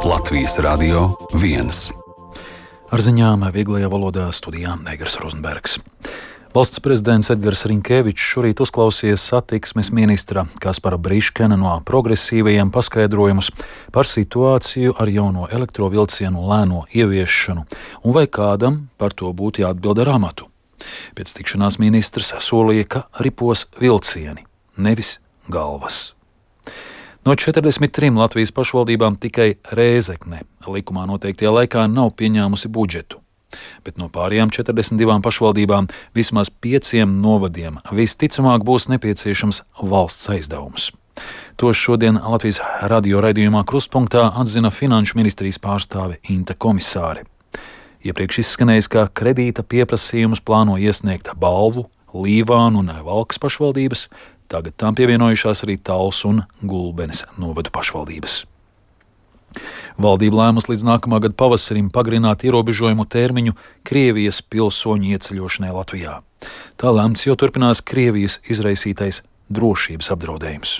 Latvijas Radio 1. Ar ziņām vieglajā valodā studijā Negers Rozenbergs. Valsts prezidents Edgars Rinkevičs šorīt uzklausīja satiksmes ministra Kaspara Briškena no progresīvajiem paskaidrojumus par situāciju ar jauno elektrovilcienu lēno ieviešanu un vai kādam par to būtu jāatbild ar amatu. Pēc tikšanās ministrs solīja, ka ripos vilcieni, nevis galvas. No 43 Latvijas pašvaldībām tikai Rēzekne likumā noteiktajā laikā nav pieņēmusi budžetu, bet no pārējām 42 pašvaldībām vismaz 5 novadiem visticamāk būs nepieciešams valsts aizdevums. To šodien Latvijas radio raidījumā Krustpunktā atzina Finanšu ministrijas pārstāve Inte Komisāre. Iepriekš izskanējis, ka kredīta pieprasījumus plāno iesniegt Balvu, Līvānu un Valkas pašvaldības, tagad tām pievienojušās arī Talsu un Gulbenes novadu pašvaldības. Valdība lēmus līdz nākamā gada pavasarim pagarināt ierobežojumu termiņu Krievijas pilsoņu ieceļošanai Latvijā. Tā lēmts, jo turpinās Krievijas izraisītais drošības apdraudējums.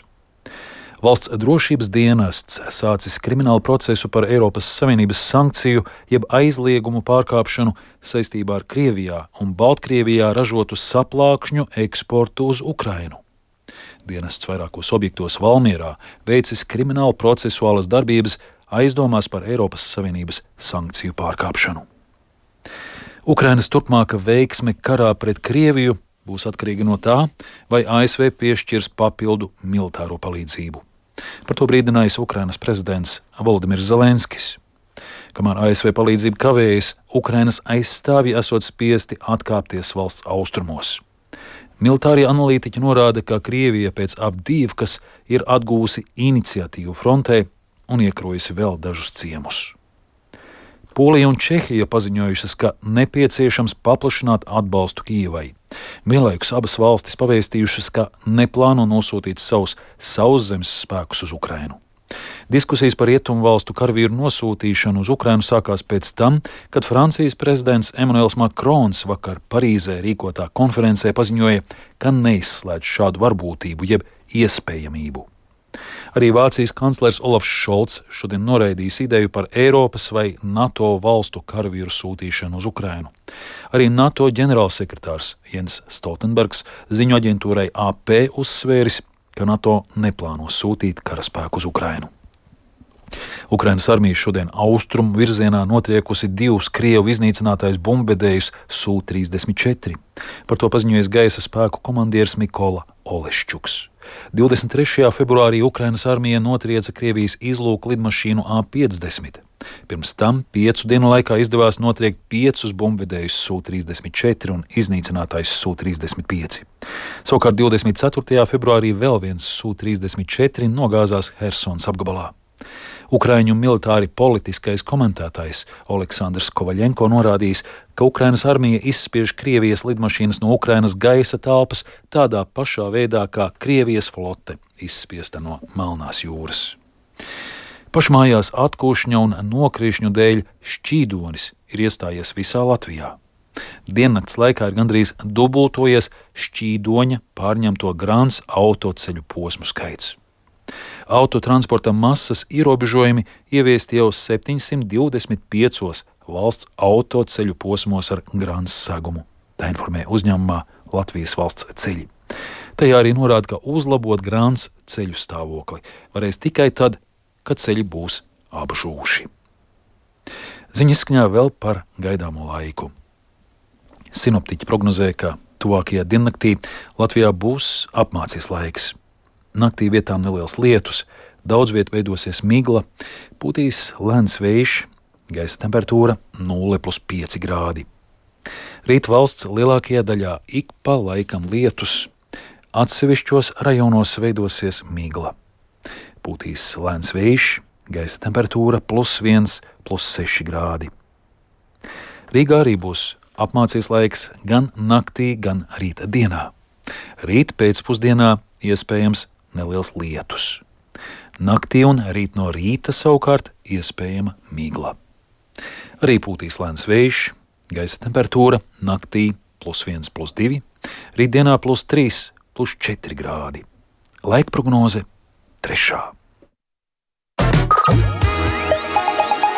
Valsts drošības dienests sācis kriminālu procesu par Eiropas Savienības sankciju jeb aizliegumu pārkāpšanu saistībā ar Krievijā un Baltkrievijā ražotu saplākšņu eksportu uz Ukrainu. Dienests vairākos objektos Valmierā veicis kriminālu procesuālas darbības aizdomās par Eiropas Savienības sankciju pārkāpšanu. Ukrainas turpmāka veiksme karā pret Krieviju būs atkarīga no tā, vai ASV piešķirs papildu militāro palīdzību. Par to brīdinājis Ukrainas prezidents Volodimirs Zelenskis. Kamēr ASV palīdzība kavējas, Ukrainas aizstāvji esot spiesti atkāpties valsts austrumos. Militārie analītiķi norāda, ka Krievija pēc Avdīvkas ir atgūsi iniciatīvu frontē un iekrojusi vēl dažus ciemus. Polija un Čehija paziņojušas, ka nepieciešams paplašināt atbalstu Kijevai. Vienlaikus abas valstis pavēstījušas, ka neplāno nosūtīt savus sauszemes spēkus uz Ukrainu. Diskusijas par rietumvalstu karavīru nosūtīšanu uz Ukrainu sākās pēc tam, kad Francijas prezidents Emmanuels Macrons vakar Parīzē rīkotā konferencē paziņoja, ka neizslēdz šādu varbūtību jeb iespējamību. Arī Vācijas kanclers Olafs Šolts šodien noraidījis ideju par Eiropas vai NATO valstu karavīru sūtīšanu uz Ukrainu. Arī NATO ģenerālsekretārs Jens Stoltenbergs ziņu aģentūrai AP uzsvēris, ka NATO neplāno sūtīt karaspēku uz Ukrainu. Ukrainas armija šodien austrumu virzienā notriekusi 2 Krievu iznīcinātais bumbvedējus Su-34. Par to paziņojis gaisa spēku komandieris Mikola Oleščuks. 23. februārī Ukrainas armija notrieca Krievijas izlūku lidmašīnu A-50. Pirms tam 5 dienu laikā izdevās notriekt 5 bumbvedējus Su-34 un iznīcinātais Su-35. Savukārt 24. februārī vēl viens Su-34 nogāzās Hersons apgabalā. Ukraiņu militāri politiskais komentētājs Oleksandrs Kovaļenko norādījis, ka Ukrainas armija izspiež Krievijas lidmašīnas no Ukrainas gaisa telpas tādā pašā veidā, kā Krievijas flote izspiesta no Melnās jūras. Pašmājās atkūšņa un nokrišņu dēļ šķīdonis ir iestājies visā Latvijā. Diennakts laikā ir gandrīz dubultojies šķīdoņa pārņemto grants autoceļu posmu skaits. Autotransporta masas ierobežojumi ieviesti jau 725 valsts autoceļu posmos ar grants segumu. Tā informē uzņēmumā Latvijas valsts ceļi. Tajā arī norāda, ka uzlabot grants ceļu stāvokli varēs tikai tad, kad ceļi būs apžūši. Ziņa izskaņā vēl par gaidāmo laiku. Sinoptiķi prognozē, ka tuvākajā diennaktī Latvijā būs apmācies laiks. Naktī vietām neliels lietus, daudz viet veidosies migla, pūtīs lēns vējš, gaisa temperatūra 0+5 grādi. Rīt valsts lielākajā daļā ik pa laikam lietus, atsevišķos rajonos veidosies migla. Pūtīs lēns vējš, gaisa temperatūra +1, +6 grādi. Rīgā arī būs apmācies laiks gan naktī, gan rīta dienā. Rīt pēcpusdienā iespējams neliels lietus. Naktī un rīt no rīta savukārt iespējama migla. Arī pūtīs lēns vējš, gaisa temperatūra naktī +1, +2, rītdienā +3, +4 grādi. Laika prognoze 3.